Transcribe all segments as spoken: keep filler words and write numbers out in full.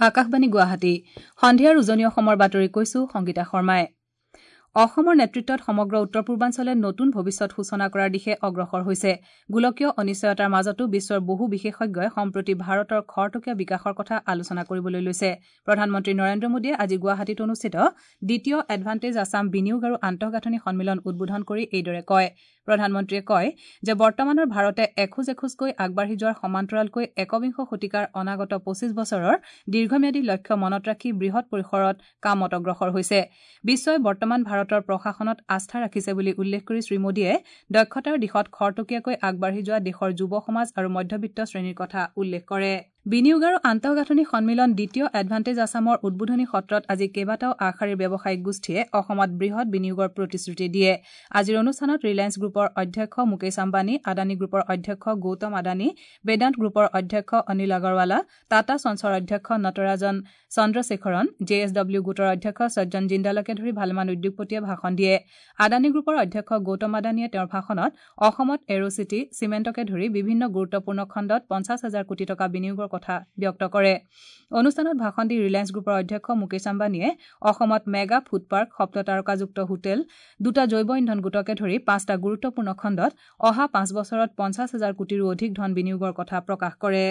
আকাশবাণী গুৱাহাটী সন্ধিয়াৰ উজনি অসমৰ বাতৰি কৈছো সংগীতা শৰ্মাই। অসমৰ নেতৃত্বত সমগ্ৰ উত্তৰ পূৰ্বাঞ্চলে নতুন ভৱিষ্যত সূচনা কৰাৰ দিশে অগ্ৰসৰ হৈছে। গোলকীয় অনিশ্চয়তাৰ মাজতো বিশ্বৰ বহু বিশেষজ্ঞই সম্প্ৰতি ভাৰতৰ খৰতকীয়া বিকাশৰ কথা আলোচনা কৰিবলৈ লৈছে। প্ৰধানমন্ত্ৰী নৰেন্দ্ৰ মোদীয়ে আজি গুৱাহাটীত অনুষ্ঠিত দ্বিতীয় এডভান্টেজ আছাম বিনিয়োগ আৰু আন্তঃগাঁথনি সন্মিলন উদ্বোধন কৰি এইদৰে কয়। প্ৰধানমন্ত্ৰীয়ে কয় যে বৰ্তমানৰ ভাৰতে এখোজ এখোজকৈ আগবাঢ়ি যোৱাৰ সমান্তৰালকৈ একবিংশ শতিকাৰ অনাগত পঁচিছ বছৰৰ দীৰ্ঘম্যাদী লক্ষ্য মনত ৰাখি বৃহৎ পৰিসৰত কামত অগ্ৰসৰ হৈছে। বিশ্বই বৰ্তমান ভাৰতৰ প্ৰশাসনত আস্থা ৰাখিছে বুলি উল্লেখ কৰি শ্ৰীমোদীয়ে দক্ষতাৰ দিশত খৰতকীয়াকৈ আগবাঢ়ি যোৱা দেশৰ যুৱ সমাজ আৰু মধ্যবিত্ত শ্ৰেণীৰ কথা উল্লেখ কৰে। বিনিয়োগ আৰু আন্তঃগাঁথনি সন্মিলন দ্বিতীয় এডভান্টেজ আছামৰ উদ্বোধনী সত্ৰত আজি কেইবাটাও আগশাৰীৰ ব্যৱসায়িক গোষ্ঠীয়ে অসমত বৃহৎ বিনিয়োগৰ প্ৰতিশ্ৰুতি দিয়ে। আজিৰ অনুষ্ঠানত ৰিলায়েন্স গ্ৰুপৰ অধ্যক্ষ মুকেশ আম্বানী, আদানী গ্ৰুপৰ অধ্যক্ষ গৌতম আদানী, বেদান্ত গ্ৰুপৰ অধ্যক্ষ অনিল আগৰৱালা, টাটা ছন্সৰ অধ্যক্ষ Natarajan Chandrasekaran, J S W গোটৰ অধ্যক্ষ সজ্জন জিন্দালকে ধৰি ভালেমান উদ্যোগপতিয়ে ভাষণ দিয়ে। আদানী গ্ৰুপৰ অধ্যক্ষ গৌতম আদানীয়ে তেওঁৰ ভাষণত অসমত এৰ' চিটি, চিমেণ্টকে ধৰি বিভিন্ন গুৰুত্বপূৰ্ণ খণ্ডত পঞ্চাছ হাজাৰ কোটি টকা বিনিয়োগৰ কথা ব্যক্ত কৰে। অনুষ্ঠানত ভাষণ দি ৰিলায়েন্স গ্ৰুপৰ অধ্যক্ষ মুকেশ আম্বানীয়ে অসমত মেগা ফুড পাৰ্ক, সপ্ততাৰকাযুক্ত হোটেল, দুটা জৈৱ ইন্ধন গোটকে ধৰি পাঁচটা গুৰুত্বপূৰ্ণ খণ্ডত অহা পাঁচ বছৰত পঞ্চাছ হাজাৰ কোটিৰো অধিক ধন বিনিয়োগৰ কথা প্ৰকাশ কৰে।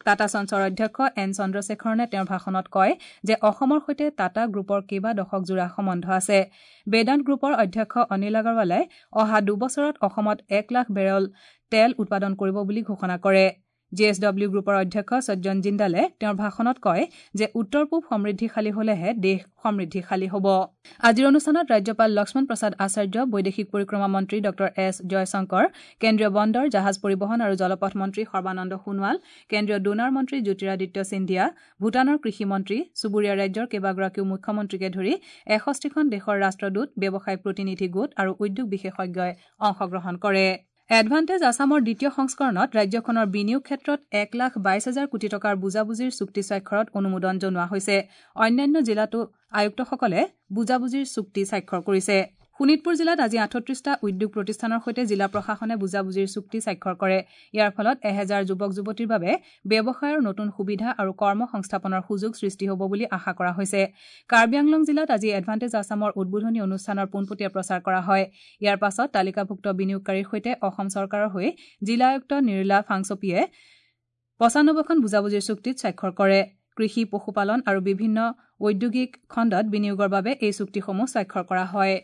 টাটা ছন্সৰ অধ্যক্ষ এন চন্দ্ৰশেখৰণে তেওঁৰ ভাষণত কয় যে অসমৰ সৈতে টাটা গ্ৰুপৰ কেইবা দশকজোৰা সম্বন্ধ আছে। বেদান্ত গ্ৰুপৰ অধ্যক্ষ অনিল আগৰৱালাই অহা দুবছৰত অসমত এক লাখ বেৰল তেল উৎপাদন কৰিব বুলি ঘোষণা কৰে। জে এছ ডব্লিউ গ্ৰুপৰ অধ্যক্ষ সজ্জন জিন্দালে তেওঁৰ ভাষণত কয় যে উত্তৰ পূব সমৃদ্ধিশালী হলেহে দেশ সমৃদ্ধিশালী হ'ব। আজিৰ অনুষ্ঠানত ৰাজ্যপাল লক্ষ্মণ প্ৰসাদ আচাৰ্য, বৈদেশিক পৰিক্ৰমা মন্ত্ৰী ডঃ এছ জয়শংকৰ, কেন্দ্ৰীয় বন্দৰ, জাহাজ পৰিবহণ আৰু জলপথ মন্ত্ৰী সৰ্বানন্দ সোণোৱাল, কেন্দ্ৰীয় ডোনাৰ মন্ত্ৰী জ্যোতিৰাদিত্য সিন্ধিয়া, ভূটানৰ কৃষি মন্ত্ৰী, চুবুৰীয়া ৰাজ্যৰ কেইবাগৰাকীও মুখ্যমন্ত্ৰীকে ধৰি এষষ্ঠিখন দেশৰ ৰাষ্ট্ৰদূত, ব্যৱসায়িক প্ৰতিনিধি গোট আৰু উদ্যোগ বিশেষজ্ঞই অংশগ্ৰহণ কৰে। এডভান্টেজ আছামৰ দ্বিতীয় সংস্কৰণত ৰাজ্যখনৰ বিনিয়োগ ক্ষেত্ৰত এক লাখ বাইছ হাজাৰ কোটি টকাৰ বুজাবুজিৰ চুক্তি স্বাক্ষৰত অনুমোদন জনোৱা হৈছে। অন্যান্য জিলাতো আয়ুক্তসকলে বুজাবুজিৰ চুক্তি স্বাক্ষৰ কৰিছে। শোণিতপুৰ জিলাত আজি আঠত্ৰিশটা উদ্যোগ প্ৰতিষ্ঠানৰ সৈতে জিলা প্ৰশাসনে বুজাবুজিৰ চুক্তি স্বাক্ষৰ কৰে। ইয়াৰ ফলত এহেজাৰ যুৱক যুৱতীৰ বাবে ব্যৱসায়ৰ নতুন সুবিধা আৰু কৰ্ম সংস্থাপনৰ সুযোগ সৃষ্টি হ'ব বুলি আশা কৰা হৈছে। কাৰ্বি আংলং জিলাত আজি এডভান্টেজ আছামৰ উদ্বোধনী অনুষ্ঠানৰ পোনপটীয়া প্ৰচাৰ কৰা হয়। ইয়াৰ পাছত তালিকাভুক্ত বিনিয়োগকাৰীৰ সৈতে অসম চৰকাৰৰ হৈ জিলা আয়ুক্ত নিৰ্লা ফাংচপিয়ে পঁচানব্বৈখন বুজাবুজিৰ চুক্তিত স্বাক্ষৰ কৰে। কৃষি, পশুপালন আৰু বিভিন্ন ঔদ্যোগিক খণ্ডত বিনিয়োগৰ বাবে এই চুক্তিসমূহ স্বাক্ষৰ কৰা হয়।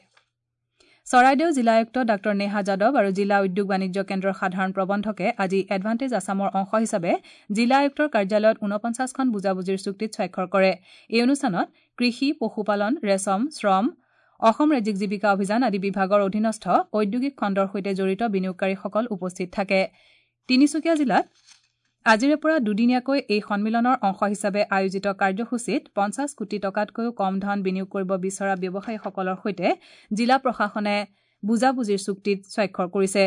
চৰাইদেউ জিলা আয়ুক্ত ডাঃ নেহা যাদৱ আৰু জিলা উদ্যোগ বাণিজ্য কেন্দ্ৰৰ সাধাৰণ প্ৰবন্ধকে আজি এডভান্টেজ আছামৰ অংশ হিচাপে জিলা আয়ুক্তৰ কাৰ্যালয়ত ঊনপঞ্চাছখন বুজাবুজিৰ চুক্তিত স্বাক্ষৰ কৰে। এই অনুষ্ঠানত কৃষি, পশুপালন, ৰেচম, শ্ৰম, অসম ৰাজ্যিক জীৱিকা অভিযান আদি বিভাগৰ অধীনস্থ ঔদ্যোগিক খণ্ডৰ সৈতে জড়িত বিনিয়োগকাৰীসকল উপস্থিত থাকে। তিনিচুকীয়া জিলাত আজিৰে পৰা দুদিনীয়াকৈ এই সন্মিলনৰ অংশ হিচাপে আয়োজিত কাৰ্যসূচীত পঞ্চাছ কোটি টকাতকৈও কম ধন বিনিয়োগ কৰিব বিচৰা ব্যৱসায়ীসকলৰ সৈতে জিলা প্ৰশাসনে বুজাবুজিৰ চুক্তিত স্বাক্ষৰ কৰিছে।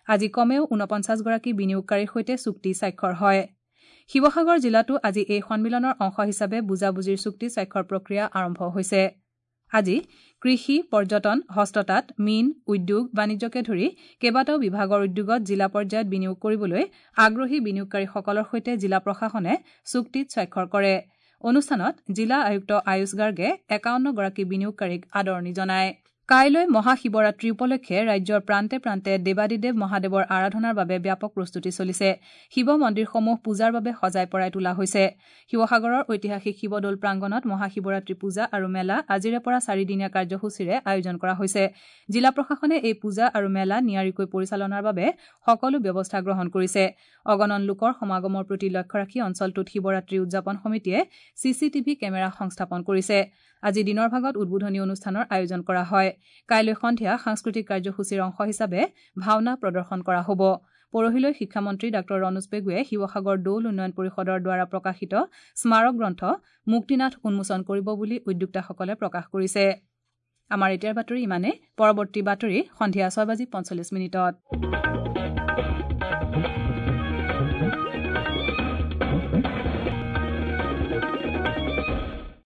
আজি কমেও ঊনপঞ্চাছগৰাকী বিনিয়োগকাৰীৰ সৈতে চুক্তি স্বাক্ষৰ হয়। শিৱসাগৰ জিলাতো আজি এই সন্মিলনৰ অংশ হিচাপে বুজাবুজিৰ চুক্তি স্বাক্ষৰ প্ৰক্ৰিয়া আৰম্ভ হৈছে। আজি কৃষি, পৰ্যটন, হস্ততাঁত, মীন, উদ্যোগ, বাণিজ্যকে ধৰি কেইবাটাও বিভাগৰ উদ্যোগত জিলা পৰ্যায়ত বিনিয়োগ কৰিবলৈ আগ্ৰহী বিনিয়োগকাৰীসকলৰ সৈতে জিলা প্ৰশাসনে চুক্তিত স্বাক্ষৰ কৰে। অনুষ্ঠানত জিলা আয়ুক্ত আয়ুষ গাৰ্গে একাৱন্নগৰাকী বিনিয়োগকাৰীক আদৰণি জনায়। কাইলৈ মহাশিৱৰাত্ৰি উপলক্ষে ৰাজ্যৰ প্ৰান্তে প্ৰান্তে দেৱাদিদেৱ মহাদেৱৰ আৰাধনাৰ বাবে ব্যাপক প্ৰস্তুতি চলিছে। শিৱ মন্দিৰসমূহ পূজাৰ বাবে সজাই পৰাই তোলা হৈছে। শিৱসাগৰৰ ঐতিহাসিক শিৱদৌল প্ৰাংগণত মহাশিৱৰাত্ৰি পূজা আৰু মেলা আজিৰে পৰা চাৰিদিনীয়া কাৰ্যসূচীৰে আয়োজন কৰা হৈছে। জিলা প্ৰশাসনে এই পূজা আৰু মেলা নিয়াৰিকৈ পৰিচালনাৰ বাবে সকলো ব্যৱস্থা গ্ৰহণ কৰিছে। অগণন লোকৰ সমাগমৰ প্ৰতি লক্ষ্য ৰাখি অঞ্চলটোত শিৱৰাত্ৰি উদযাপন সমিতিয়ে চি চি টিভি কেমেৰা সংস্থাপন কৰিছে। আজি দিনৰ ভাগত উদ্বোধনী অনুষ্ঠানৰ আয়োজন কৰা হয়। কাইলৈ সন্ধিয়া সাংস্কৃতিক কাৰ্যসূচীৰ অংশ হিচাপে ভাওনা প্ৰদৰ্শন কৰা হ'ব। পৰহিলৈ শিক্ষামন্ত্ৰী ডাঃ ৰণোজ পেগুৱে শিৱসাগৰ দৌল উন্নয়ন পৰিষদৰ দ্বাৰা প্ৰকাশিত স্মাৰক গ্ৰন্থ মুক্তিনাথ উন্মোচন কৰিব বুলি উদ্যোক্তাসকলে প্ৰকাশ কৰিছে। আমাৰ এতিয়াৰ বাতৰি ইমানেই। পৰৱৰ্তী বাতৰি সন্ধিয়া ছয় বাজি পঞ্চল্লিছ মিনিটত।